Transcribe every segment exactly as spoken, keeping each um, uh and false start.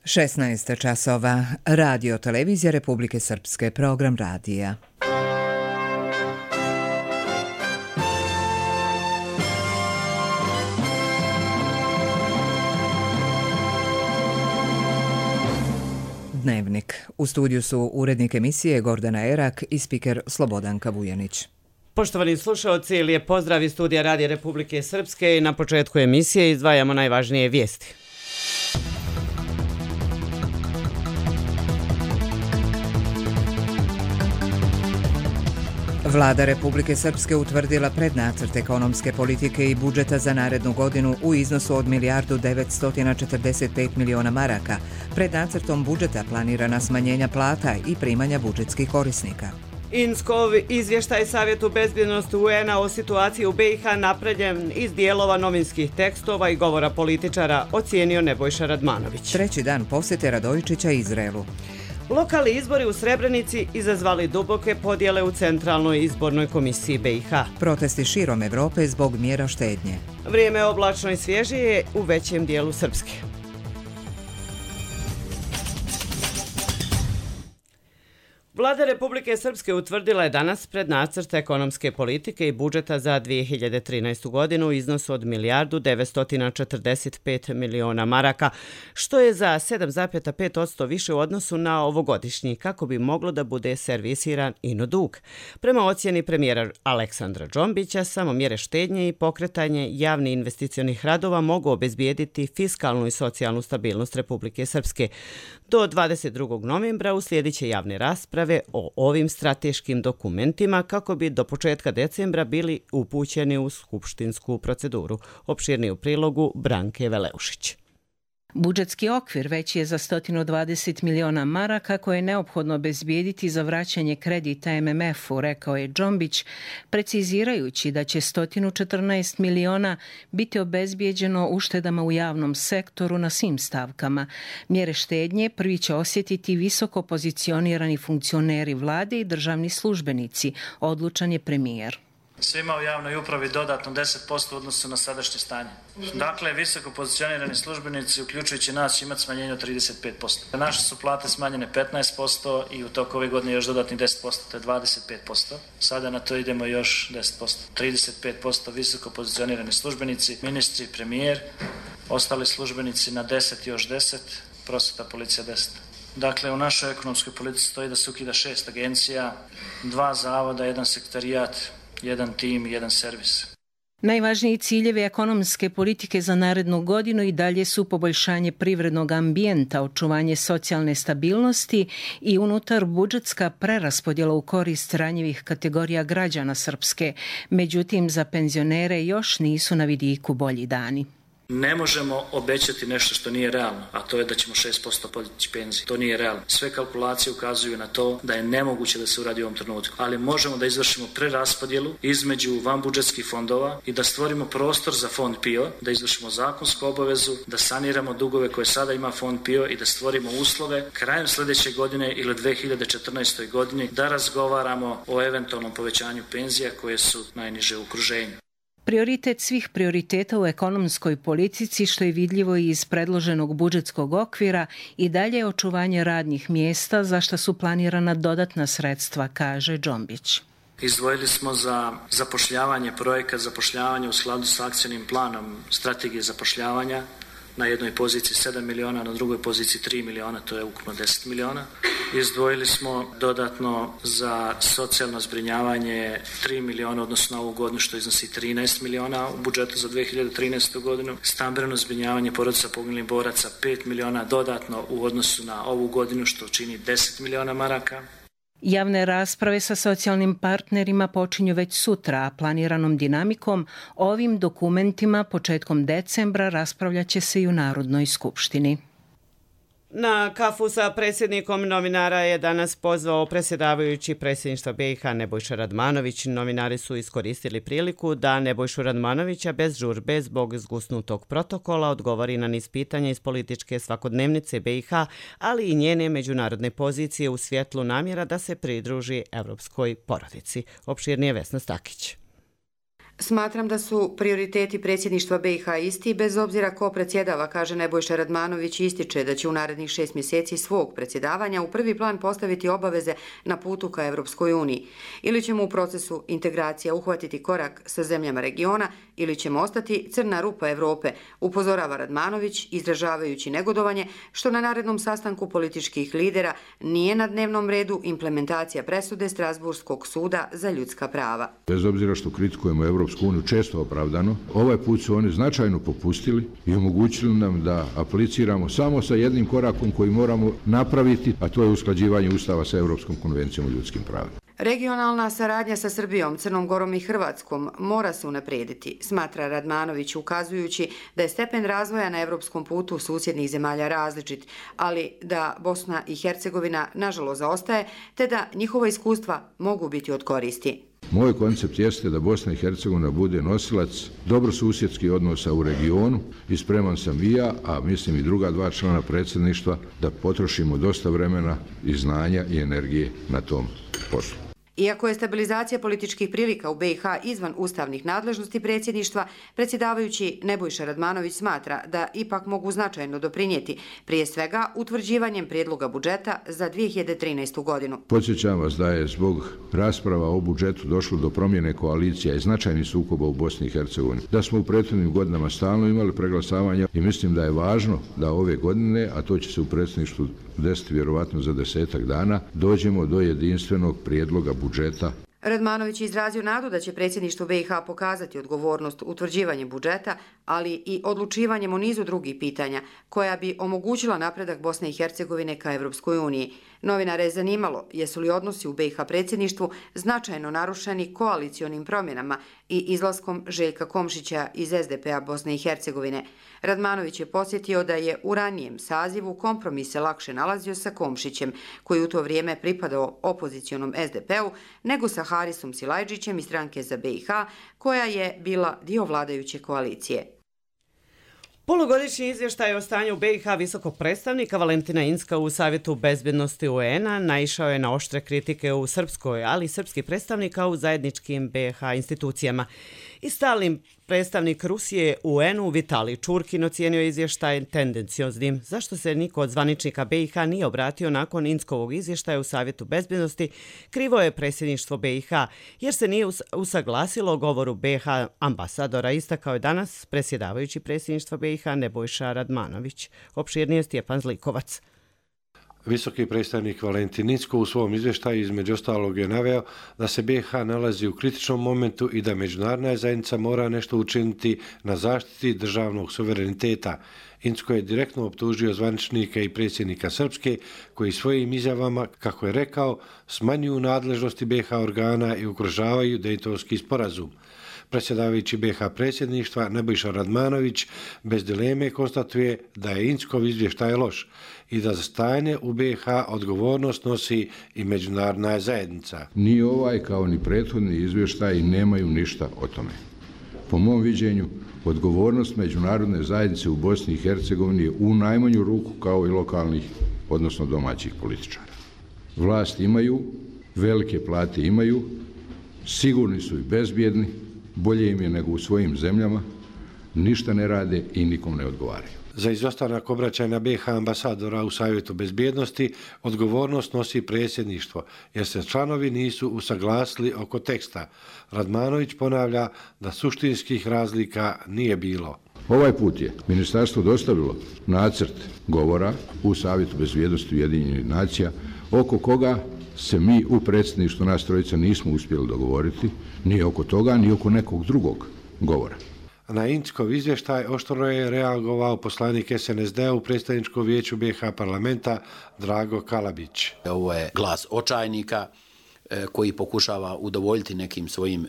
šesnaest časova. Radio Televizija Republike Srpske, program radija. Dnevnik. U studiju su urednik emisije Gordana Erak i spiker Slobodanka Vujanić. Poštovani slušaoci, lijep pozdrav iz studija Radija Republike Srpske i na početku emisije izdvajamo najvažnije vijesti. Vlada Republike Srpske utvrdila prednacrt ekonomske politike i budžeta za narednu godinu u iznosu od milijardu devetsto četrdeset pet miliona maraka. Pred nacrtom budžeta planirana smanjenja plata i primanja budžetskih korisnika. Inskov izvještaj Savjetu bezbjednosti U N-a o situaciji u B i H napravljen iz dijelova novinskih tekstova i govora političara, ocijenio Nebojša Radmanović. Treći dan posjete Radojičića Izraelu. Lokalni izbori u Srebrenici izazvali duboke podjele u Centralnoj izbornoj komisiji B i H. Protesti širom Evrope zbog mjera štednje. Vrijeme oblačno i svježije u većem dijelu Srpske. Vlada Republike Srpske utvrdila je danas prednacrt ekonomske politike i budžeta za dvije hiljade trinaestu. godinu u iznosu od milijardu devetsto četrdeset pet miliona maraka, što je za sedam zarez pet posto više u odnosu na ovogodišnji, kako bi moglo da bude servisiran ino dug. Prema ocjeni premijera Aleksandra Džombića, samo mjere štednje i pokretanje javnih investicionih radova mogu obezbijediti fiskalnu i socijalnu stabilnost Republike Srpske. Do dvadeset drugog novembra uslijedit će javne rasprave o ovim strateškim dokumentima kako bi do početka decembra bili upućeni u skupštinsku proceduru. Opširnije u prilogu Branke Veleušić. Budžetski okvir veći je za sto dvadeset miliona maraka koje je neophodno obezbijediti za vraćanje kredita M M F-u, rekao je Džombić, precizirajući da će sto četrnaest miliona biti obezbijeđeno uštedama u javnom sektoru na svim stavkama. Mjere štednje prvi će osjetiti visoko pozicionirani funkcioneri vlade i državni službenici, odlučan je premijer. Svima u javnoj upravi dodatno deset posto u odnosu na sadašnje stanje. Dakle, visoko pozicionirani službenici, uključujući nas, će imati smanjenje od trideset pet posto. Naše su plate smanjene petnaest posto i u toku ove godine još dodatnih deset posto, to je dvadeset pet posto. Sada na to idemo još deset posto. trideset pet posto visoko pozicionirani službenici, ministri, premijer, ostali službenici na deset, još deset, prosveta, policija deset. Dakle, u našoj ekonomskoj politici stoji da se ukida šest agencija, dva zavoda, jedan sekretarijat, jedan tim i jedan servis. Najvažniji ciljevi ekonomske politike za narednu godinu i dalje su poboljšanje privrednog ambijenta, očuvanje socijalne stabilnosti i unutar budžetska preraspodjela u korist ranjivih kategorija građana Srpske. Međutim, za penzionere još nisu na vidiku bolji dani. Ne možemo obećati nešto što nije realno, a to je da ćemo šest posto podići penzije. To nije realno. Sve kalkulacije ukazuju na to da je nemoguće da se uradi u ovom trenutku. Ali možemo da izvršimo preraspodjelu između vanbudžetskih fondova i da stvorimo prostor za fond P I O, da izvršimo zakonsku obavezu, da saniramo dugove koje sada ima fond P I O i da stvorimo uslove krajem sljedeće godine ili dvije hiljade četrnaestoj. godini da razgovaramo o eventualnom povećanju penzija koje su najniže u okruženju. Prioritet svih prioriteta u ekonomskoj politici, što je vidljivo i iz predloženog budžetskog okvira, i dalje je očuvanje radnih mjesta, za što su planirana dodatna sredstva, kaže Džombić. Izdvojili smo za zapošljavanje, projekat zapošljavanja u skladu sa akcijnim planom strategije zapošljavanja, na jednoj poziciji sedam miliona, na drugoj poziciji tri miliona, to je ukupno deset miliona. Izdvojili smo dodatno za socijalno zbrinjavanje tri miliona, odnosno na ovu godinu, što iznosi trinaest miliona u budžetu za dvije hiljade trinaestu. godinu. Stambeno zbrinjavanje porodica poginulih boraca pet miliona dodatno u odnosu na ovu godinu, što čini deset miliona maraka. Javne rasprave sa socijalnim partnerima počinju već sutra, a planiranom dinamikom ovim dokumentima početkom decembra raspravljat će se i u Narodnoj skupštini. Na kafu sa predsjednikom novinara je danas pozvao predsjedavajući predsjedništva B i H Nebojša Radmanović. Novinari su iskoristili priliku da Nebojšu Radmanovića bez žurbe zbog zgusnutog protokola odgovori na niz pitanja iz političke svakodnevnice B i H, ali i njene međunarodne pozicije u svjetlu namjera da se pridruži evropskoj porodici. Opširnije Vesna Stakić. Smatram da su prioriteti predsjedništva B i H isti, bez obzira ko predsjedava, kaže Nebojša Radmanović i ističe da će u narednih šest mjeseci svog predsjedavanja u prvi plan postaviti obaveze na putu ka Evropskoj uniji. Ili ćemo u procesu integracija uhvatiti korak sa zemljama regiona, ili ćemo ostati crna rupa Evrope, upozorava Radmanović, izražavajući negodovanje što na narednom sastanku političkih lidera nije na dnevnom redu implementacija presude Strasburskog suda za ljudska prava. Bez obzira što kritikujemo Evropsku uniju često opravdano, ovaj put su oni značajno popustili i omogućili nam da apliciramo samo sa jednim korakom koji moramo napraviti, a to je usklađivanje Ustava sa Europskom konvencijom o ljudskim pravima. Regionalna saradnja sa Srbijom, Crnom Gorom i Hrvatskom mora se unaprijediti, smatra Radmanović, ukazujući da je stepen razvoja na evropskom putu susjednih zemalja različit, ali da Bosna i Hercegovina nažalost zaostaje, te da njihova iskustva mogu biti od koristi. Moj koncept jeste da Bosna i Hercegovina bude nosilac dobrosusjedskih odnosa u regionu i spreman sam i ja, a mislim i druga dva člana predsjedništva, da potrošimo dosta vremena i znanja i energije na tom poslu. Iako je stabilizacija političkih prilika u B i H izvan ustavnih nadležnosti predsjedništva, predsjedavajući Nebojša Radmanović smatra da ipak mogu značajno doprinijeti, prije svega utvrđivanjem prijedloga budžeta za dvije hiljade trinaestu godinu. Podsjećam vas da je zbog rasprava o budžetu došlo do promjene koalicija i značajnih sukoba u Bosni i Hercegovini. Da smo u prethodnim godinama stalno imali preglasavanja i mislim da je važno da ove godine, a to će se u predsjedništvu desiti vjerovatno za desetak dana, dođemo do jedinstvenog prijedloga budžeta. Radmanović je izrazio nadu da će predsjedništvo B i H pokazati odgovornost utvrđivanjem budžeta, ali i odlučivanjem o nizu drugih pitanja, koja bi omogućila napredak Bosne i Hercegovine ka Evropskoj uniji. Novinare je zanimalo jesu li odnosi u B i H predsjedništvu značajno narušeni koalicionim promjenama i izlaskom Željka Komšića iz S D P-a Bosne i Hercegovine. Radmanović je podsjetio da je u ranijem sazivu kompromis se lakše nalazio sa Komšićem, koji u to vrijeme pripadao opozicionom S D P-u, nego sa Harisom Silajdžićem iz stranke za B i H, koja je bila dio vladajuće koalicije. Polugodišnji izvještaj o stanju B i H visokog predstavnika Valentina Incka u Savjetu bezbjednosti U N-a naišao je na oštre kritike u Srpskoj, ali i srpskih predstavnika u zajedničkim B i H institucijama. I stalni predstavnik Rusije u U N-u Vitalij Čurkin ocijenio izvještaj tendencioznim. Zašto se niko od zvaničnika B i H nije obratio nakon Inckovog izvještaja u Savjetu bezbjednosti, krivo je predsjedništvo B i H, jer se nije usaglasilo o govoru B i H ambasadora, istakao je danas predsjedavajući predsjedništva B i H Nebojša Radmanović. Opširnije Stjepan Zlikovac. Visoki predstavnik Valentin Incko u svom izvještaju između ostalog je naveo da se B i H nalazi u kritičnom momentu i da međunarodna zajednica mora nešto učiniti na zaštiti državnog suvereniteta. Incko je direktno optužio zvaničnike i predsjednika Srpske koji svojim izjavama, kako je rekao, smanjuju nadležnosti B i H organa i ugrožavaju Dejtonski sporazum. Predsjedavajući B i H predsjedništva Nebojša Radmanović bez dileme konstatuje da je Inckov izvještaj loš i da za stajanje u B i H odgovornost nosi i međunarodna zajednica. Ni ovaj kao ni prethodni izvještaj nemaju ništa o tome. Po mom viđenju, odgovornost međunarodne zajednice u Bosni i Hercegovini je u najmanju ruku kao i lokalnih, odnosno domaćih političara. Vlast imaju, velike plate imaju, sigurni su i bezbjedni, bolje im je nego u svojim zemljama, ništa ne rade i nikom ne odgovaraju. Za izostanak obraćanja B i H ambasadora u Savjetu bezbjednosti odgovornost nosi predsjedništvo, jer se članovi nisu usaglasili oko teksta. Radmanović ponavlja da suštinskih razlika nije bilo. Ovaj put je ministarstvo dostavilo nacrt govora u Savjetu bezbjednosti Ujedinjenih nacija, oko koga se mi u predsjedništvu nas trojica nismo uspjeli dogovoriti, ni oko toga, ni oko nekog drugog govora. Na Inckov izvještaj oštro je reagovao poslanik S N S D-a u predstavničkom vijeću B i H parlamenta Drago Kalabić. Ovo je glas očajnika koji pokušava udovoljiti nekim svojim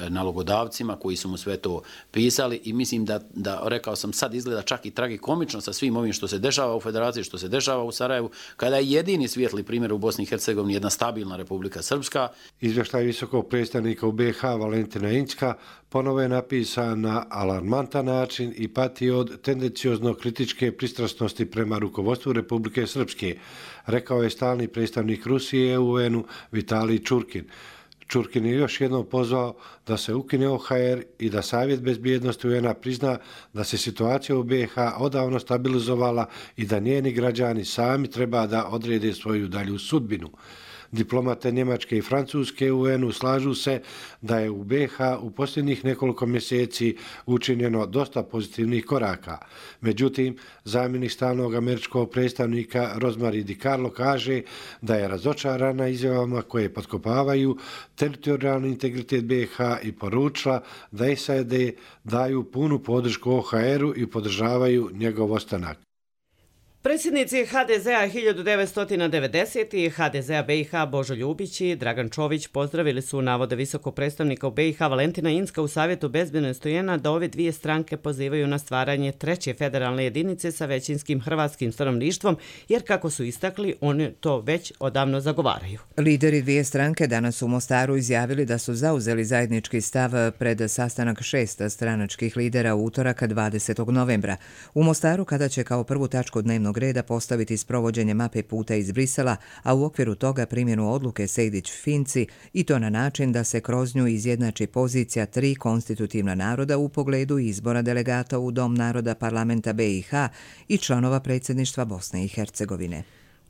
nalogodavcima koji su mu sve to pisali i mislim da, da, rekao sam, sad izgleda čak i tragikomično sa svim ovim što se dešava u Federaciji, što se dešava u Sarajevu, kada je jedini svijetli primjer u Bosni i Hercegovini jedna stabilna Republika Srpska. Izvještaj visokog predstavnika u B i H Valentina Incka ponovo je napisan na alarmantan način i pati od tendenciozno kritičke pristrasnosti prema rukovodstvu Republike Srpske, rekao je stalni predstavnik Rusije u U N-u Vitalij Čurkin. Čurkin je još jednom pozvao da se ukine O H R i da Savjet bezbjednosti U N-a prizna da se situacija u B i H odavno stabilizovala i da njeni građani sami treba da odrede svoju dalju sudbinu. Diplomate Njemačke i Francuske u U N-u slažu se da je u B i H u posljednjih nekoliko mjeseci učinjeno dosta pozitivnih koraka. Međutim, zamjenik stalnog američkog predstavnika Rosemary DiCarlo kaže da je razočarana izjavama koje potkopavaju teritorijalni integritet B i H i poručila da S A D daju punu podršku O H R-u i podržavaju njegov ostanak. Predsjednici H D Z-a hiljadu devetsto devedesete i H D Z-a B i H Božo Ljubić i Dragan Čović pozdravili su navode visokog predstavnika u B i H Valentina Inzka u Savjetu bezbjednosti U N-a da ove dvije stranke pozivaju na stvaranje treće federalne jedinice sa većinskim hrvatskim stanovništvom, jer kako su istakli, oni to već odavno zagovaraju. Lideri dvije stranke danas u Mostaru izjavili da su zauzeli zajednički stav pred sastanak šest stranačkih lidera u utorak dvadesetog novembra. U Mostaru kada će kao prvu tačku dnevnog reda postaviti sprovođenje mape puta iz Brisela, a u okviru toga primjenu odluke Sejdić-Finci i to na način da se kroz nju izjednači pozicija tri konstitutivna naroda u pogledu izbora delegata u Dom naroda parlamenta B i H i članova predsjedništva Bosne i Hercegovine.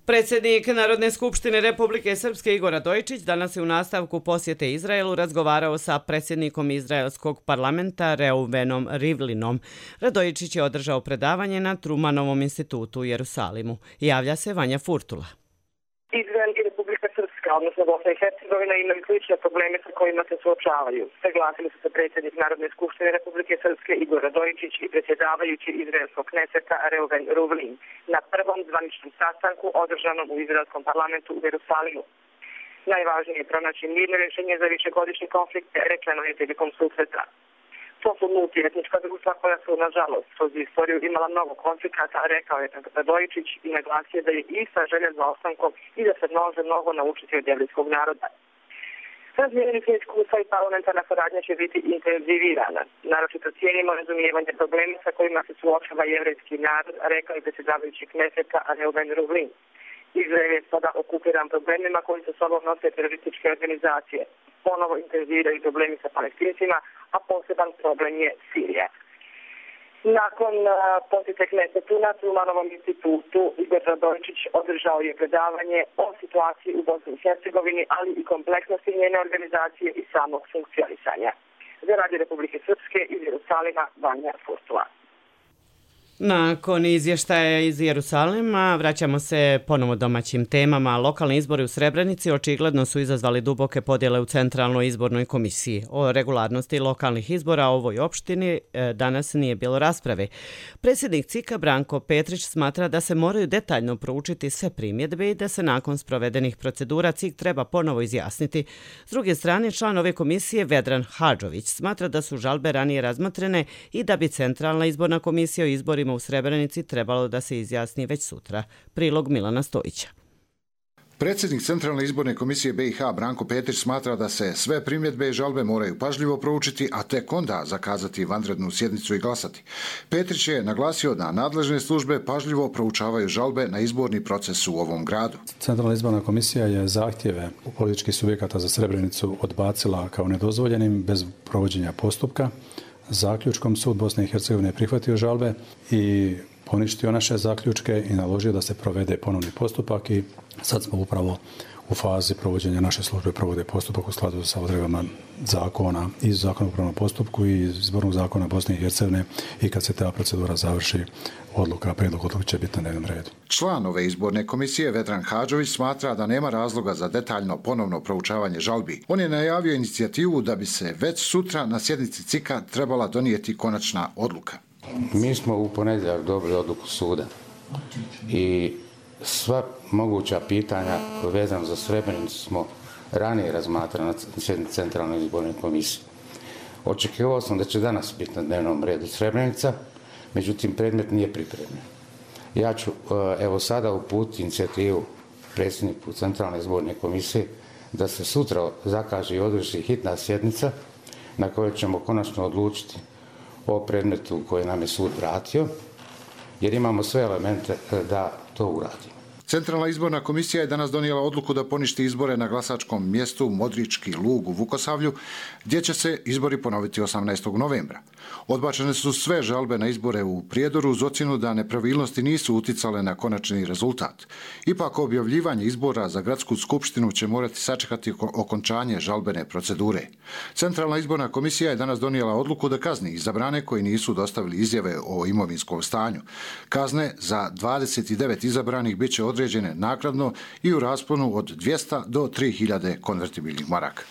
Predsjednik Narodne skupštine Republike Srpske Igor Radojičić danas je u nastavku posjete Izraelu razgovarao sa predsjednikom izraelskog parlamenta Reuvenom Rivlinom. Radojičić je održao predavanje na Trumanovom institutu u Jerusalimu. Javlja se Vanja Furtula. Izrael i Republika Srpska, odnosno Bosna i Hercegovina, imaju slične probleme sa kojima se suočavaju. Saglasili su se predsjednik Narodne skupštine Republike Srpske Igor Radojičić i predsjedavajući izraelskog kneseta Reuven Rivlin na prvom zvaničnom sastanku održanom u izraelskom parlamentu u Jerusalimu. Najvažnije je pronaći mirno rješenje za višegodišnji konflikt, rečeno je prilikom susreta. To su multietnička društva koja su, nažalost, kroz istoriju imala mnogo konflikata, rekao je Radojičić i naglasio da je ista želja za ostankom i da se može mnogo naučiti od jevrijskog naroda. Razmijenjenih iskustva i parlamentarna saradnja će biti intenzivirana. Naročito cijenimo razumijevanje problema sa kojima se suočava jevrijski narod, rekao je predsjedavajući kneseta Reuven Rivlin. Izrael je sada okupiran problemima koji se sobom nose terorističke organizacije. Ponovo intenziviraju problemi sa Palestincima, a poseban problem je Sirija. Nakon posjete knesetu na Trumanovom institutu, Igor Radojičić održao je predavanje o situaciji u Bosni i Hercegovini, ali i kompleksnosti njene organizacije i samog funkcionisanja. Za Radio Republike Srpske iz Jerusalima, Vanja Furtula. Nakon izvještaja iz Jerusalima vraćamo se ponovo domaćim temama. Lokalni izbori u Srebrenici očigledno su izazvali duboke podjele u Centralnoj izbornoj komisiji. O regularnosti lokalnih izbora u ovoj opštini danas nije bilo rasprave. Predsjednik C I K-a Branko Petrić smatra da se moraju detaljno proučiti sve primjedbe i da se nakon sprovedenih procedura C I K treba ponovo izjasniti. S druge strane, član ove komisije Vedran Hadžović smatra da su žalbe ranije razmotrene i da bi Centralna izborna komisija o izborima u Srebrenici trebalo da se izjasni već sutra. Prilog Milana Stojića. Predsjednik Centralne izborne komisije B i H Branko Petrić smatra da se sve primjedbe i žalbe moraju pažljivo proučiti, a tek onda zakazati vanrednu sjednicu i glasati. Petrić je naglasio da nadležne službe pažljivo proučavaju žalbe na izborni proces u ovom gradu. Centralna izborna komisija je zahtjeve političkih subjekata za Srebrenicu odbacila kao nedozvoljenim bez provođenja postupka. Zaključkom sud Bosne i Hercegovine je prihvatio žalbe i poništio naše zaključke i naložio da se provede ponovni postupak i sad smo upravo u fazi provođenja naše službe provode postupak u skladu sa odredbama zakona i zakona o upravnom postupku i izbornog zakona Bosne i Hercegovine i kad se ta procedura završi odluka, prijedlog odluke će biti na dnevnom redu. Član ove izborne komisije Vedran Hadžović smatra da nema razloga za detaljno ponovno proučavanje žalbi. On je najavio inicijativu da bi se već sutra na sjednici C I K-a trebala donijeti konačna odluka. Mi smo u ponedjeljak dobili odluku suda i sva moguća pitanja vezana za Srebrenicu smo ranije razmatrali na sjednici Centralne izborne komisije. Očekivao sam da će danas biti na dnevnom redu Srebrenica, međutim predmet nije pripremljen. Ja ću evo sada uputiti inicijativu predsjedniku Centralne izborne komisije da se sutra zakaže i održi hitna sjednica na kojoj ćemo konačno odlučiti o predmetu koji nam je sud vratio, jer imamo sve elemente da to uradimo. Centralna izborna komisija je danas donijela odluku da poništi izbore na glasačkom mjestu Modrički lug u Vukosavlju, gdje će se izbori ponoviti osamnaestog novembra. Odbačene su sve žalbe na izbore u Prijedoru uz ocjenu da nepravilnosti nisu uticale na konačni rezultat. Ipak objavljivanje izbora za gradsku skupštinu će morati sačekati okončanje žalbene procedure. Centralna izborna komisija je danas donijela odluku da kazni izabrane koji nisu dostavili izjave o imovinskom stanju. Kazne za dvadeset devet izabranih bit će određene naknadno i u rasponu od dvjesto do tri hiljade konvertibilnih maraka.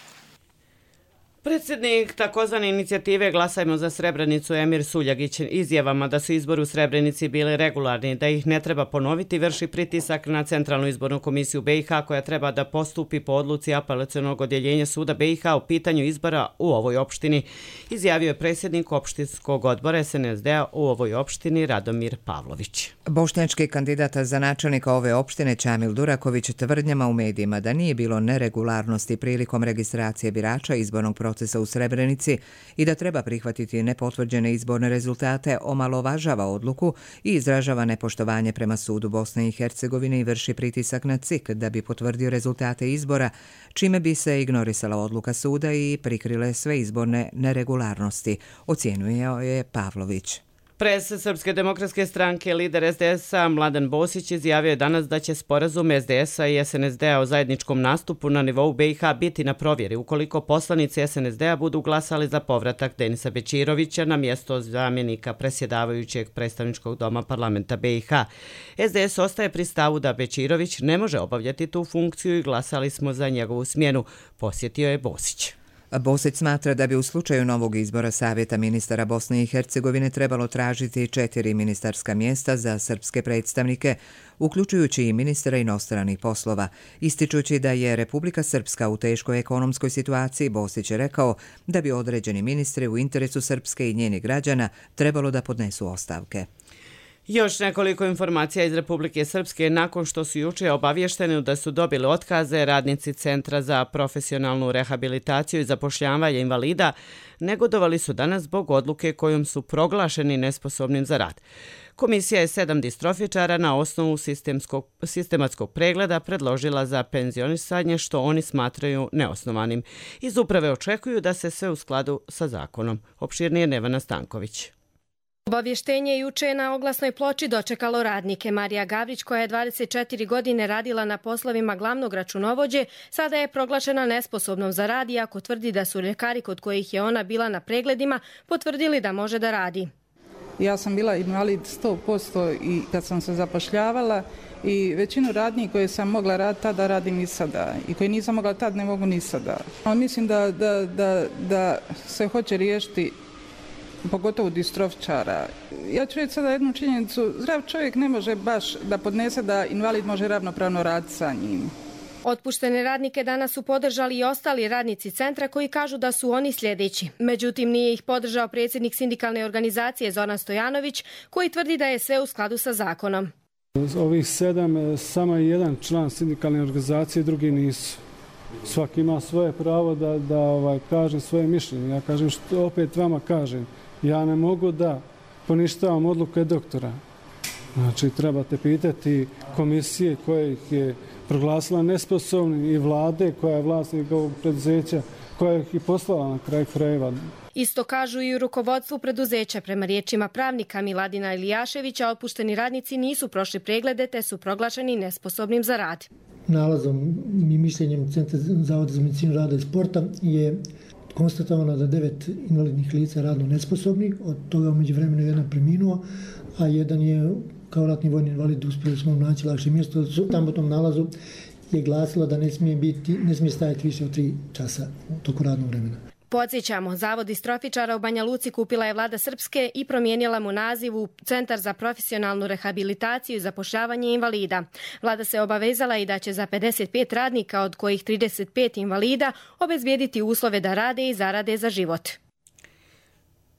Predsjednik takozvane inicijative Glasajmo za Srebrenicu Emir Suljagić izjavama da su izbori u Srebrenici bili regularni, da ih ne treba ponoviti, vrši pritisak na Centralnu izbornu komisiju B i H koja treba da postupi po odluci apelacionog odjeljenja suda B i H u pitanju izbora u ovoj opštini, izjavio je predsjednik opštinskog odbora S N S D-a u ovoj opštini Radomir Pavlović. Bošnjački kandidat za načelnika ove opštine Čamil Duraković tvrdnjama u medijima da nije bilo neregularnosti prilikom registracije birača izbornog procesa u Srebrenici i da treba prihvatiti nepotvrđene izborne rezultate, omalovažava odluku i izražava nepoštovanje prema sudu Bosne i Hercegovine i vrši pritisak na C I K da bi potvrdio rezultate izbora, čime bi se ignorisala odluka suda i prikrile sve izborne neregularnosti, ocjenjuje je Pavlović. Pres Srpske demokratske stranke, lider S D S-a Mladen Bosić izjavio je danas da će sporazum S D S-a i S N S D-a o zajedničkom nastupu na nivou B i H biti na provjeri ukoliko poslanici S N S D-a budu glasali za povratak Denisa Bečirovića na mjesto zamjenika presjedavajućeg predstavničkog doma parlamenta B i H. S D S ostaje pri stavu da Bečirović ne može obavljati tu funkciju i glasali smo za njegovu smjenu, posjetio je Bosić. Bosić smatra da bi u slučaju novog izbora Savjeta ministara Bosne i Hercegovine trebalo tražiti četiri ministarska mjesta za srpske predstavnike, uključujući i ministra inostranih poslova. Ističući da je Republika Srpska u teškoj ekonomskoj situaciji, Bosić je rekao da bi određeni ministri u interesu Srpske i njenih građana trebalo da podnesu ostavke. Još nekoliko informacija iz Republike Srpske. Nakon što su juče obavješteni da su dobili otkaze, radnici Centra za profesionalnu rehabilitaciju i zapošljavanje invalida negodovali su danas zbog odluke kojom su proglašeni nesposobnim za rad. Komisija je sedam distrofičara na osnovu sistemskog, sistematskog pregleda predložila za penzionisanje, što oni smatraju neosnovanim. Iz uprave očekuju da se sve u skladu sa zakonom. Opširnije Nevena Stanković. Obavještenje juče na oglasnoj ploči dočekalo radnike. Marija Gavrić, koja je dvadeset četiri godine radila na poslovima glavnog računovođe, sada je proglašena nesposobnom za rad, iako tvrdi da su ljekari kod kojih je ona bila na pregledima potvrdili da može da radi. Ja sam bila invalid sto posto i kad sam se zapošljavala i većinu radnji koje sam mogla raditi tada radim i sada i koje nisam mogla tad ne mogu ni sada. Ali mislim da, da, da, da se hoće riješiti pogotovo distrofičara. Ja ću reći sada jednu činjenicu, zdrav čovjek ne može baš da podnese da invalid može ravnopravno raditi sa njim. Otpuštene radnike danas su podržali i ostali radnici centra koji kažu da su oni sljedeći. Međutim, nije ih podržao predsjednik sindikalne organizacije Zoran Stojanović, koji tvrdi da je sve u skladu sa zakonom. Ovih sedam, samo je jedan član sindikalne organizacije, drugi nisu. Svaki ima svoje pravo da, da ovaj, kaže svoje mišljenje. Ja kažem što opet vama kažem. Ja ne mogu da poništavam odluke doktora. Znači, trebate pitati komisije koje ih je proglasila nesposobnim i vlade koja je vlasnik ovog preduzeća, koja ih je poslala na kraj krajeva. Isto kažu i u rukovodstvu preduzeća. Prema riječima pravnika Miladina Ilijaševića, otpušteni radnici nisu prošli preglede te su proglašeni nesposobnim za rad. Nalazom i mišljenjem Centra zavoda za medicinu rada i sporta je konstatovano da devet invalidnih lica radno nesposobnih, od toga umeđu vremenu jedan preminuo, a jedan je kao ratni vojni invalid uspjeli smo naći lakše mjesto. Tamo u tom nalazu je glasilo da ne smije, biti, ne smije stajati više od tri časa u toku radnog vremena. Podsjećamo, Zavod distrofičara u Banja Luci kupila je vlada Srpske i promijenila mu naziv u Centar za profesionalnu rehabilitaciju i zapošljavanje invalida. Vlada se obavezala i da će za pedeset pet radnika, od kojih trideset pet invalida, obezbijediti uslove da rade i zarade za život.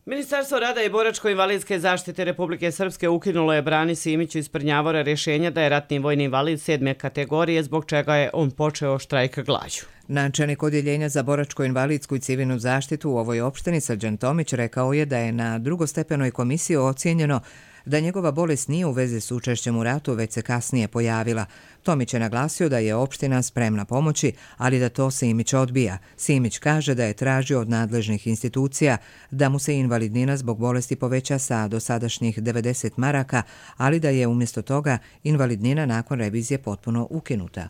Ministarstvo rada i boračko-invalidske zaštite Republike Srpske ukinulo je Brani Simiću iz Prnjavora rješenja da je ratni vojni invalid sedme kategorije, zbog čega je on počeo štrajk glađu. Načelnik odjeljenja za boračko-invalidsku i civilnu zaštitu u ovoj opštini Srđan Tomić rekao je da je na drugostepenoj komisiji ocijenjeno da njegova bolest nije u vezi s učešćem u ratu, već se kasnije pojavila. Tomić je naglasio da je opština spremna pomoći, ali da to Simić odbija. Simić kaže da je tražio od nadležnih institucija da mu se invalidnina zbog bolesti poveća sa dosadašnjih devedeset maraka, ali da je umjesto toga invalidnina nakon revizije potpuno ukinuta.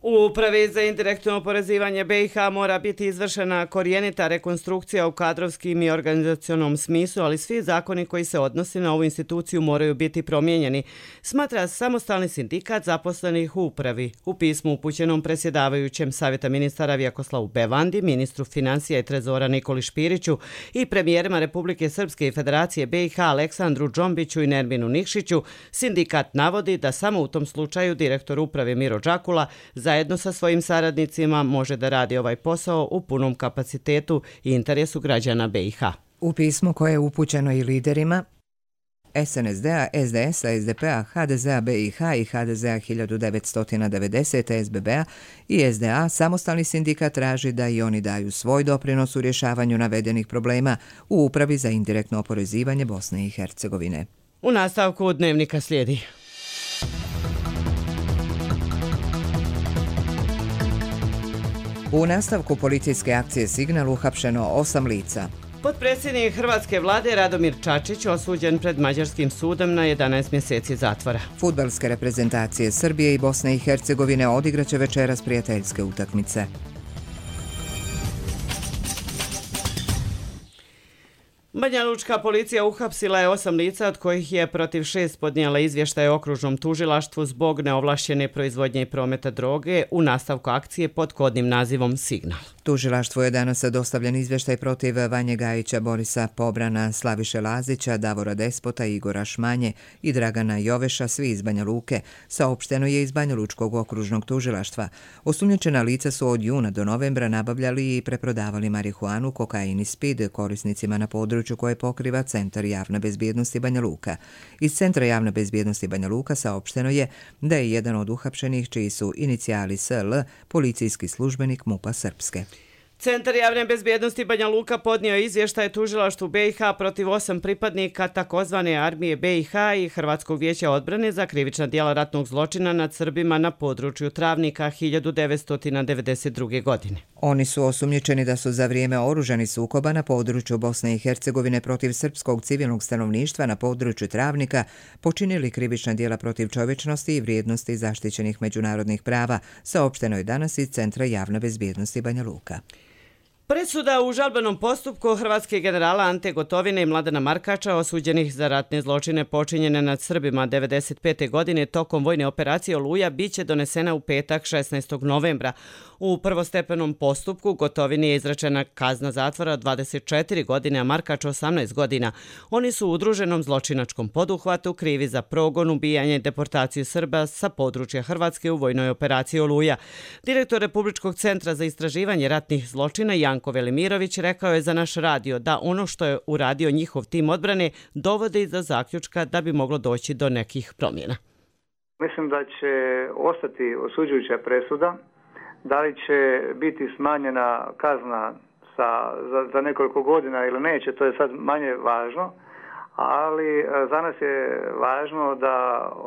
U Upravi za indirektno oporezivanje B i H mora biti izvršena korijenita rekonstrukcija u kadrovskim i organizacionom smislu, ali svi zakoni koji se odnose na ovu instituciju moraju biti promijenjeni, smatra samostalni sindikat zaposlenih u upravi. U pismu upućenom predsjedavajućem Savjeta ministara Vjakoslavu Bevandi, ministru financija i trezora Nikoli Špiriću i premijerima Republike Srpske i Federacije B i H Aleksandru Džombiću i Nerminu Nikšiću, sindikat navodi da samo u tom slučaju direktor uprave Miro Đakula za zajedno sa svojim saradnicima može da radi ovaj posao u punom kapacitetu i interesu građana B i H. U pismu koje je upućeno i liderima S N S D-a, S D S-a, S D P-a, H D Z-a B i H i H D Z-a hiljadu devetsto devedesete, S B B-a i S D A, samostalni sindikat traži da i oni daju svoj doprinos u rješavanju navedenih problema u Upravi za indirektno oporezivanje Bosne i Hercegovine. U nastavku dnevnika slijedi. U nastavku policijske akcije Signal uhapšeno osam lica. Potpredsjednik Hrvatske vlade Radomir Čačić osuđen pred mađarskim sudom na jedanaest mjeseci zatvora. Fudbalske reprezentacije Srbije i Bosne i Hercegovine odigraće večeras prijateljske utakmice. Banja Lučka policija uhapsila je osam lica, od kojih je protiv šest podnijela izvještaje okružnom tužilaštvu zbog neovlašćene proizvodnje i prometa droge u nastavku akcije pod kodnim nazivom Signal. Tužilaštvu je danas dostavljen izvještaj protiv Vanje Gajića, Borisa Pobrana, Slaviše Lazića, Davora Despota, Igora Šmanje i Dragana Joveša, svi iz Banja Luke, saopšteno je iz Banja Lučkog okružnog tužilaštva. Osumnjičena lica su od juna do novembra nabavljali i preprodavali marihuanu, kokain i speed korisnicima na području koje pokriva Centar javne bezbjednosti Banja Luka. Iz Centra javne bezbjednosti Banja Luka saopšteno je da je jedan od uhapšenih, čiji su inicijali S L, policijski službenik MUP-a Srpske. Centar javne bezbjednosti Banja Luka podnio izvještaj tužilaštvu B i H protiv osam pripadnika takozvane armije B i H i Hrvatskog vijeća odbrane za krivična djela ratnog zločina nad Srbima na području Travnika hiljadu devetsto devedeset druge. godine. Oni su osumnjičeni da su za vrijeme oružanih sukoba na području Bosne i Hercegovine protiv srpskog civilnog stanovništva na području Travnika počinili krivična djela protiv čovječnosti i vrijednosti zaštićenih međunarodnih prava, saopšteno je danas iz Centra javne bezbjednosti Banja Luka. Presuda u žalbenom postupku hrvatskih generala Ante Gotovine i Mladena Markača osuđenih za ratne zločine počinjene nad Srbima devedeset pete. godine tokom vojne operacije Oluja biće donesena u petak šesnaestog novembra. U prvostepenom postupku Gotovini je izrečena kazna zatvora od dvadeset četiri godine, a Markač osamnaest godina. Oni su u udruženom zločinačkom poduhvatu krivi za progon, ubijanje i deportaciju Srba sa područja Hrvatske u vojnoj operaciji Oluja. Direktor Republičkog centra za istraživanje ratnih zločina Janko Velimirović rekao je za naš radio da ono što je uradio njihov tim odbrane dovodi do zaključka da bi moglo doći do nekih promjena. Mislim da će ostati osuđujuća presuda. Da li će biti smanjena kazna sa, za, za nekoliko godina ili neće, to je sad manje važno, ali za nas je važno da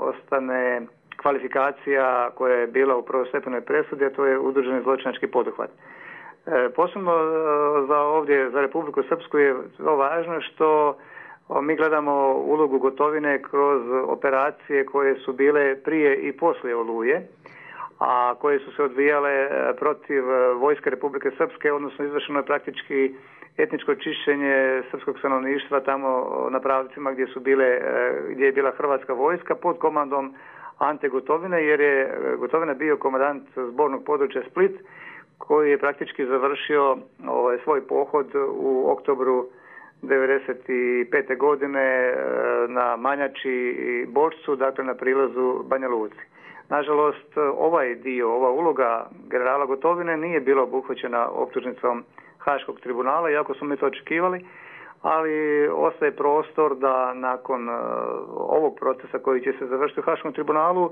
ostane kvalifikacija koja je bila u prvostepenoj presudi, a to je udruženi zločinački poduhvat. E, posebno za ovdje, za Republiku Srpsku je to važno što mi gledamo ulogu Gotovine kroz operacije koje su bile prije i poslije Oluje, a koje su se odvijale protiv vojske Republike Srpske, odnosno izvršeno je praktički etničko čišćenje srpskog stanovništva tamo na pravcima gdje su bile, gdje je bila hrvatska vojska pod komandom Ante Gotovine, jer je Gotovina bio komandant zbornog područja Split, koji je praktički završio ovaj, svoj pohod u oktobru devedeset pete. godine na Manjači i Bočcu, dakle na prilazu Banja Luci. Nažalost, ovaj dio, ova uloga generala Gotovine nije bila obuhvaćena optužnicom Haškog tribunala, iako smo mi to očekivali, ali ostaje prostor da nakon uh, ovog procesa koji će se završiti u Haškom tribunalu uh,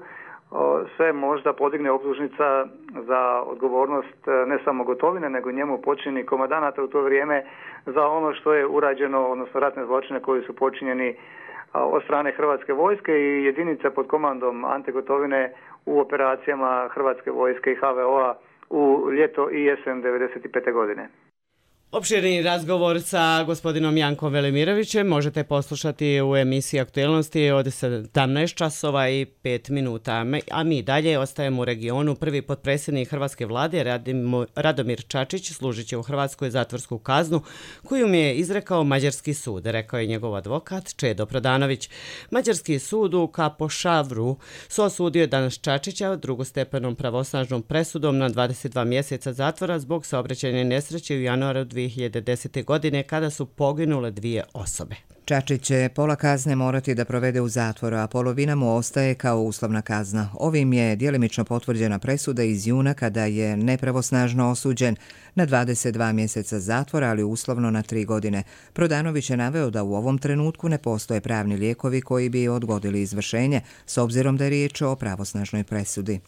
se možda podigne optužnica za odgovornost uh, ne samo Gotovine, nego njemu počinjenih komandanata u to vrijeme za ono što je urađeno, odnosno ratne zločine koji su počinjeni od strane Hrvatske vojske i jedinica pod komandom Ante Gotovine u operacijama Hrvatske vojske i H V O-a u ljeto i jesen devedeset pete godine. Opširni razgovor sa gospodinom Jankom Velimirovićem možete poslušati u emisiji Aktuelnosti od sedamnaest časova i pet minuta. A mi dalje ostajemo u regionu. Prvi potpredsjednik Hrvatske vlade Radomir Čačić služit će u Hrvatskoj zatvorsku kaznu koju mu je izrekao mađarski sud, rekao je njegov advokat Čedo Prodanović. Mađarski sud u Kapošavru su osudio danas Čačića drugostepenom pravosnažnom presudom na dvadeset dva mjeseca zatvora zbog saobraćajne nesreće u januaru dvije hiljade desete. godine kada su poginule dvije osobe. Čačić će pola kazne morati da provede u zatvoru, a polovina mu ostaje kao uslovna kazna. Ovim je djelimično potvrđena presuda iz juna kada je nepravosnažno osuđen na dvadeset dva mjeseca zatvora, ali uslovno na tri godine. Prodanović je naveo da u ovom trenutku ne postoje pravni lijekovi koji bi odgodili izvršenje, s obzirom da je riječ o pravosnažnoj presudi.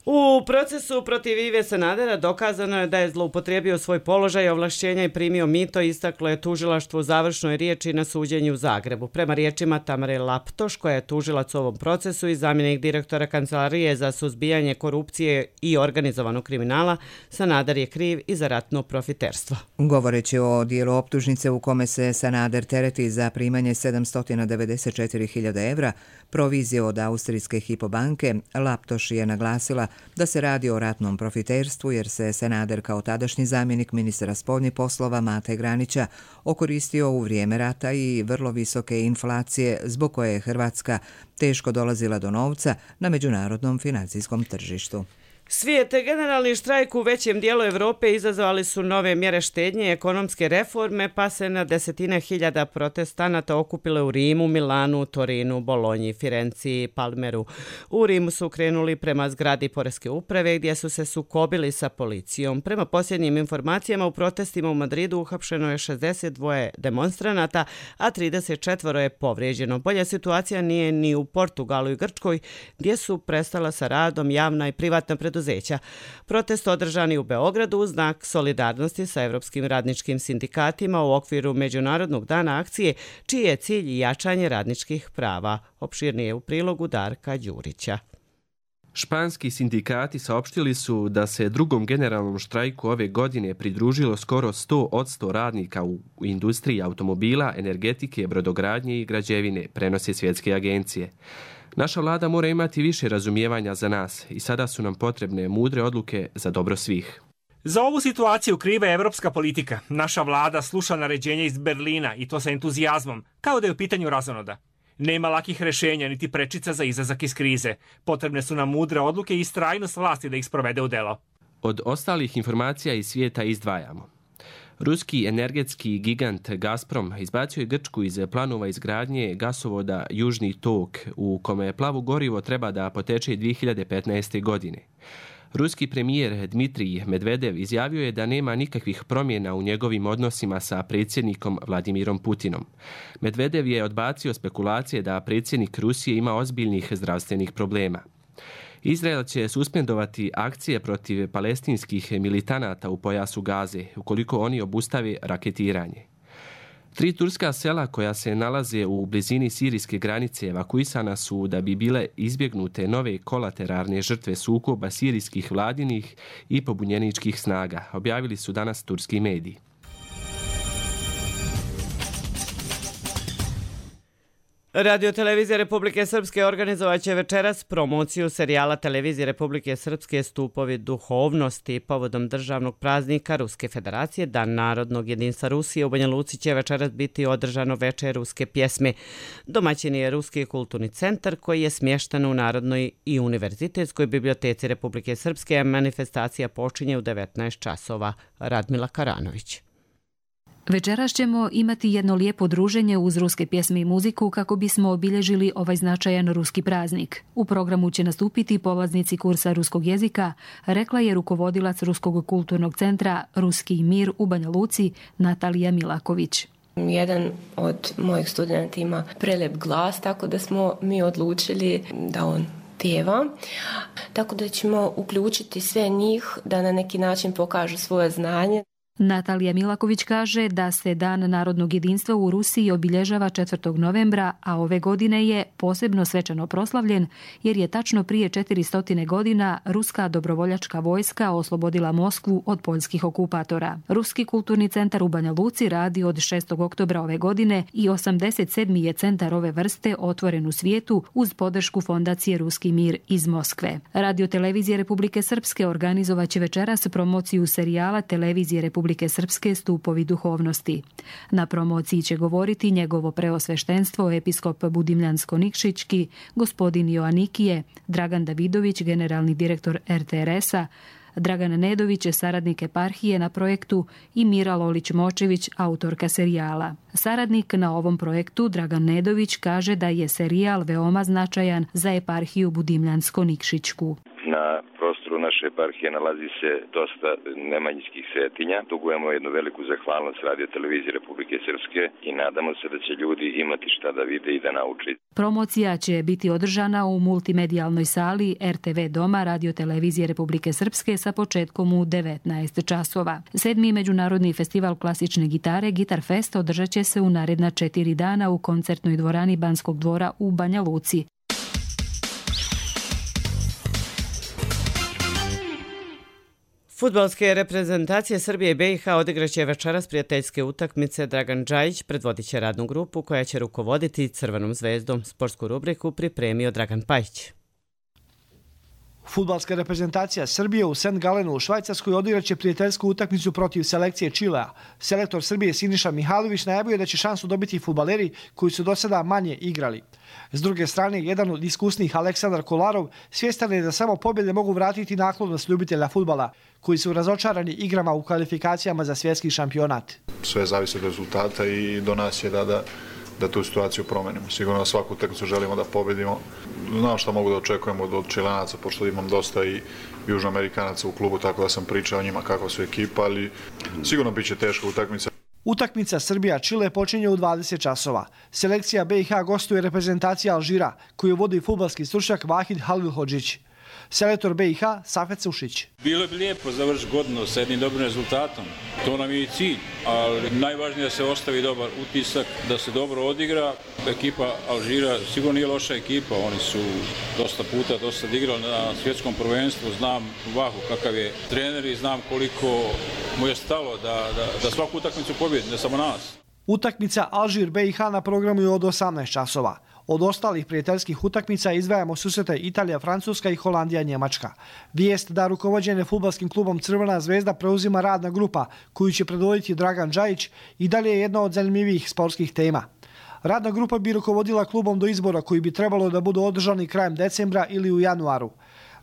U procesu protiv Ive Sanadera dokazano je da je zloupotrijebio svoj položaj, ovlašćenja i primio mito, istaklo je tužilaštvo u završnoj riječi na suđenju u Zagrebu. Prema riječima Tamare Laptoš, koja je tužilac u ovom procesu i zamjenik direktora Kancelarije za suzbijanje korupcije i organizovanog kriminala, Sanader je kriv i za ratno profiterstvo. Govoreći o dijelu optužnice u kome se Sanader tereti za primanje sedamsto devedeset četiri hiljade evra, provizije od austrijske Hypo banke, Laptoš je naglasila da se radi o ratnom profiterstvu jer se Sanader kao tadašnji zamjenik ministra spoljnih poslova Mate Granića okoristio u vrijeme rata i vrlo visoke inflacije zbog koje je Hrvatska teško dolazila do novca na međunarodnom financijskom tržištu. Svijet, generalni štrajk u većem dijelu Europe izazvali su nove mjere štednje i ekonomske reforme, pa se na desetine hiljada protestanata okupile u Rimu, Milanu, Torinu, Bolonji, Firenciji i Palmeru. U Rimu su krenuli prema zgradi poreske uprave gdje su se sukobili sa policijom. Prema posljednjim informacijama u protestima u Madridu uhapšeno je šezdeset dva demonstranata, a trideset četiri je povrijeđeno. Bolja situacija nije ni u Portugalu i Grčkoj, gdje su prestala sa radom javna i privatna preduzeća. Protest održani u Beogradu u znak solidarnosti sa evropskim radničkim sindikatima u okviru Međunarodnog dana akcije, čiji je cilj jačanje radničkih prava. Opširnije u prilogu Darka Đurića. Španski sindikati saopštili su da se drugom generalnom štrajku ove godine pridružilo skoro sto posto radnika u industriji automobila, energetike, brodogradnje i građevine, prenose svjetske agencije. Naša vlada mora imati više razumijevanja za nas i sada su nam potrebne mudre odluke za dobro svih. Za ovu situaciju kriva je evropska politika. Naša vlada sluša naređenja iz Berlina i to sa entuzijazmom, kao da je u pitanju razonoda. Nema lakih rešenja niti prečica za izlazak iz krize. Potrebne su nam mudre odluke i istrajnost vlasti da ih sprovede u delo. Od ostalih informacija iz svijeta izdvajamo. Ruski energetski gigant Gazprom izbacio je Grčku iz planova izgradnje gasovoda Južni tok, u kome plavo gorivo treba da poteče dvije hiljade petnaeste. godine. Ruski premijer Dmitrij Medvedev izjavio je da nema nikakvih promjena u njegovim odnosima sa predsjednikom Vladimirom Putinom. Medvedev je odbacio spekulacije da predsjednik Rusije ima ozbiljnih zdravstvenih problema. Izrael će suspendovati akcije protiv palestinskih militanata u pojasu Gaze, ukoliko oni obustave raketiranje. Tri turska sela koja se nalaze u blizini sirijske granice evakuisana su da bi bile izbjegnute nove kolateralne žrtve sukoba sirijskih vladinih i pobunjeničkih snaga, objavili su danas turski mediji. Radio Televizija Republike Srpske organizovat će večeras promociju serijala Televizije Republike Srpske Stupovi duhovnosti povodom državnog praznika Ruske federacije, Dan narodnog jedinstva Rusije. U Banja Luci će večeras biti održano veče ruske pjesme. Domaćin je Ruski kulturni centar koji je smješten u Narodnoj i univerzitetskoj biblioteci Republike Srpske, a manifestacija počinje u devetnaest časova. Radmila Karanović. Večeras ćemo imati jedno lijepo druženje uz ruske pjesme i muziku kako bismo obilježili ovaj značajan ruski praznik. U programu će nastupiti polaznici kursa ruskog jezika, rekla je rukovodilac Ruskog kulturnog centra Ruski mir u Banja Luci Natalija Milaković. Jedan od mojih studenta ima prelep glas, tako da smo mi odlučili da on pjeva. Tako da ćemo uključiti sve njih da na neki način pokažu svoje znanje. Natalija Milaković kaže da se Dan narodnog jedinstva u Rusiji obilježava četvrtog novembra, a ove godine je posebno svečano proslavljen jer je tačno prije četiristo godina ruska dobrovoljačka vojska oslobodila Moskvu od poljskih okupatora. Ruski kulturni centar u Banja Luci radi od šestog oktobra ove godine i osamdeset sedmi je centar ove vrste otvoren u svijetu uz podršku fondacije Ruski mir iz Moskve. Radio televizije Republike Srpske organizovaće večeras promociju serijala Televizije Republike Srpske Stupovi duhovnosti. Na promociji će govoriti njegovo preosveštenstvo episkop Budimljansko-Nikšićki, gospodin Joanikije, Dragan Davidović, generalni direktor er te er es-a, Dragan Nedović, saradnik eparhije na projektu i Mira Lolić-Močević, autorka serijala. Saradnik na ovom projektu, Dragan Nedović, kaže da je serijal veoma značajan za eparhiju Budimljansko-Nikšićku. Na prostoru naše eparhije nalazi se dosta nemanjinskih svetinja. Dugujemo jednu veliku zahvalnost Radio televizije Republike Srpske i nadamo se da će ljudi imati šta da vide i da nauče. Promocija će biti održana u multimedijalnoj sali er te ve Doma Radio televizije Republike Srpske sa početkom u devetnaest časova. Sedmi međunarodni festival klasične gitare Gitar Fest održat će se u naredna četiri dana u koncertnoj dvorani Banskog dvora u Banja Luci. Fudbalske reprezentacije Srbije i be i ha odigraće večeras prijateljske utakmice. Dragan Džajić predvodit će radnu grupu koja će rukovoditi Crvenom zvezdom. Sportsku rubriku pripremio Dragan Pajić. Fudbalska reprezentacija Srbije u Saint Galenu u Švajcarskoj odigraće prijateljsku utakmicu protiv selekcije Čilea. Selektor Srbije Siniša Mihajlović najavio da će šansu dobiti fudbaleri koji su do sada manje igrali. S druge strane, jedan od iskusnih Aleksandar Kolarov svjestan je da samo pobjede mogu vratiti naklonost ljubitelja fudbala, koji su razočarani igrama u kvalifikacijama za svjetski šampionat. Sve zavisi od rezultata i do nas je da, da, da tu situaciju promenimo. Sigurno svaku utakmicu želimo da pobedimo. Znam šta mogu da očekujemo od Čilanaca, pošto imam dosta i Južnoamerikanaca u klubu, tako da sam pričao o njima kakva su ekipa, ali sigurno bit će teška utakmica. Utakmica Srbija-Čile počinje u dvadeset časova. Selekcija be i ha gostuje reprezentacija Alžira, koju vodi fudbalski stručnjak Vahid Halilhodžić. Selektor be i ha Safet Sušić. Bilo bi lijepo završiti godinu sa jednim dobrim rezultatom. To nam je i cilj, ali najvažnije da se ostavi dobar utisak, da se dobro odigra. Ekipa Alžira sigurno nije loša ekipa, oni su dosta puta dosta igrali na svjetskom prvenstvu. Znam Vahu kakav je trener i znam koliko mu je stalo da, da, da svaku utakmicu pobjedi, ne samo nas. Utakmica Alžir-be i ha na programu je od osamnaest časova. Od ostalih prijateljskih utakmica izdvajamo susrete Italija, Francuska i Holandija, Njemačka. Vijest da rukovođene fudbalskim klubom Crvena zvezda preuzima radna grupa koju će predvoditi Dragan Džajić i dalje je jedna od zanimljivih sportskih tema. Radna grupa bi rukovodila klubom do izbora koji bi trebalo da budu održani krajem decembra ili u januaru.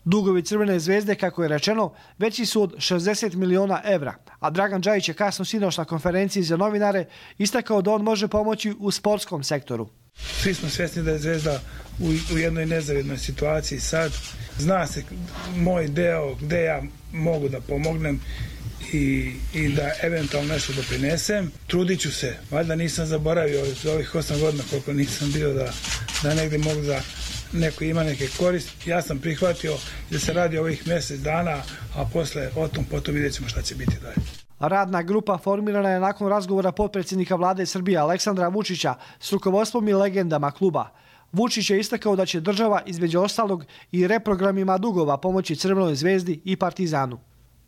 Dugovi Crvene zvezde, kako je rečeno, veći su od šezdeset miliona evra, a Dragan Džajić je kasno sinoć na konferenciji za novinare istakao da on može pomoći u sportskom sektoru. Svi smo svjesni da je Zvezda u, u jednoj nezavidnoj situaciji sad. Zna se moj deo gde ja mogu da pomognem i, i da eventualno nešto doprinesem. Trudit ću se, valjda nisam zaboravio za ovih osam godina koliko nisam bio da, da negdje mogu da neko ima neke korist. Ja sam prihvatio da se radi ovih mjesec dana, a posle o tom potom vidjet ćemo šta će biti dalje. Radna grupa formirana je nakon razgovora potpredsjednika vlade Srbije Aleksandra Vučića s rukovodstvom i legendama kluba. Vučić je istakao da će država između ostalog i reprogramima dugova pomoći Crvenoj zvezdi i Partizanu.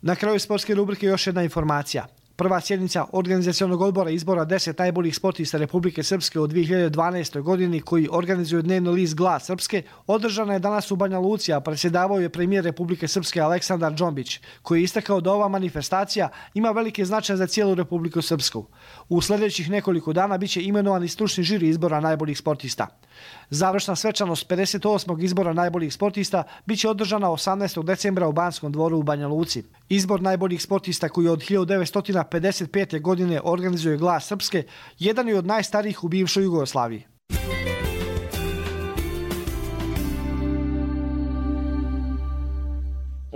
Na kraju sportske rubrike još jedna informacija. Prva sjednica organizacionog odbora izbora deset najboljih sportista Republike Srpske u dvije hiljade dvanaestoj godini koji organizuje dnevni list Glas Srpske održana je danas u Banja Luci, a predsjedavao je premijer Republike Srpske Aleksandar Džombić, koji je istakao da ova manifestacija ima veliki značaj za cijelu Republiku Srpsku. U sljedećih nekoliko dana biće imenovan i stručni žiri izbora najboljih sportista. Završna svečanost pedeset osmog izbora najboljih sportista biće održana osamnaestog decembra u Banskom dvoru u Banja Luci. Izbor najboljih sportista koji od hiljadu devetsto pedeset pete. godine organizuje Glas Srpske, jedan je od najstarijih u bivšoj Jugoslaviji.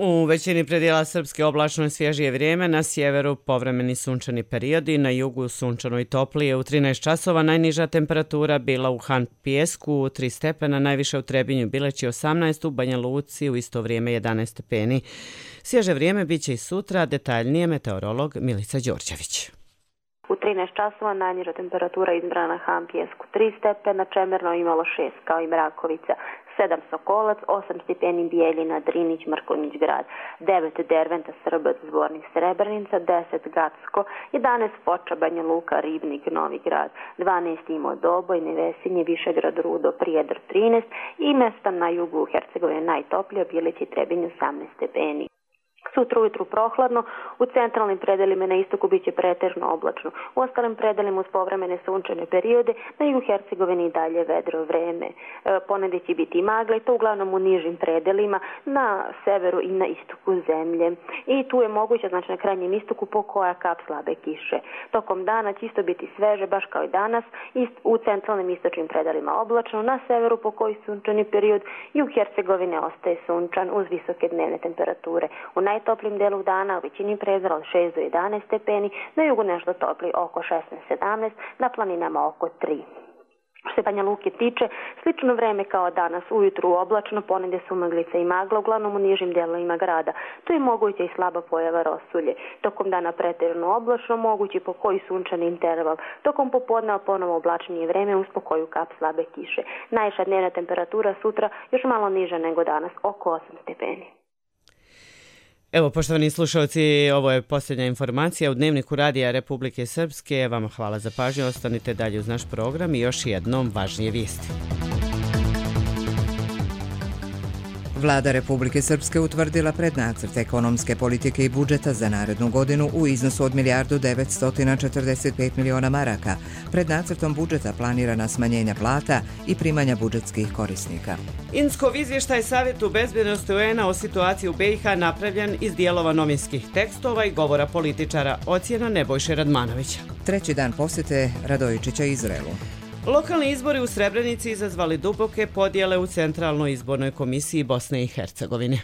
U većini predjela Srpske oblačno i svježije vrijeme, na sjeveru povremeni sunčani periodi, na jugu sunčano i toplije. U trinaest časova najniža temperatura bila u Han Pijesku tri stepena, najviše u Trebinju Bileći osamnaest, u Banja Luci u isto vrijeme jedanaest stepeni. Svježe vrijeme bit će i sutra, detaljnije meteorolog Milica Đorđević. U trinaest časova najniža temperatura izmjerena na Han Pijesku tri stepena, Čemerno imalo šest kao i Mrakovica, sedam Sokolac, osam stepeni Bijeljina, Drinić, Mrkonjić grad, devet Derventa, Srbac, Zvornik, Srebrenica, deset Gacko, jedanaest Foča, Banja Luka, Ribnik, Novi grad, dvanaest Imo, Doboj, Nevesinje, Višegrad, Rudo, Prijedor trinaest i mjesta na jugu Hercegovine najtoplije, Bilić i Trebinj osamnaest stepeni. Sutra ujutru prohladno, u centralnim predelima na istoku bit će pretežno oblačno. U ostalim predelima uz povremene sunčane periode, na jugu Hercegovini i dalje vedro vreme. E, ponedje će biti magla i to uglavnom u nižim predelima na severu i na istoku zemlje. I tu je moguće, znači na krajnjem istoku, po koja kap slabe kiše. Tokom dana će isto biti sveže, baš kao i danas, ist, u centralnim istočnim predelima oblačno, na severu po koji sunčani period, jug Hercegovine ostaje sunčan uz visoke dnevne temperature. U najtoplijim delu dana u većini predjela od šest do jedanaest stepeni, na jugu nešto topli oko šesnaest sedamnaest, na planinama oko tri. Što se Banja Luke tiče, slično vreme kao danas, ujutru oblačno, ponedje su maglica i magla, uglavnom u nižim dijelovima grada. Tu je moguće i slaba pojava rosulje. Tokom dana pretjerano oblačno, mogući po koji sunčani interval. Tokom popodneva ponovo oblačnije vreme uz po koju kap slabe kiše. Najviša dnevna temperatura sutra još malo niža nego danas, oko osam stepeni. Evo, poštovani slušalci, ovo je posljednja informacija u Dnevniku Radija Republike Srpske. Vama hvala za pažnju, ostanite dalje uz naš program i još jednom važnije vijesti. Vlada Republike Srpske utvrdila prednacrt ekonomske politike i budžeta za narednu godinu u iznosu od milijardu devetsto četrdeset pet miliona maraka. Pred nacrtom budžeta planirana smanjenja plata i primanja budžetskih korisnika. Inskov izvještaj Savjetu bezbjednosti U N-a o situaciji u B i H napravljen iz dijelova novinskih tekstova i govora političara, ocjena Nebojše Radmanovića. Treći dan posjete Radojičića Izraelu. Lokalni izbori u Srebrenici izazvali duboke podjele u Centralnoj izbornoj komisiji Bosne i Hercegovine.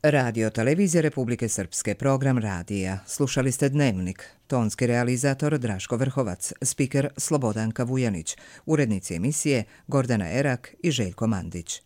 Radio Televizija Republike Srpske, program radija. Slušali ste Dnevnik. Tonski realizator Draško Vrhovac, spiker Slobodanka Vujanić, urednici emisije Gordana Erak i Željko Mandić.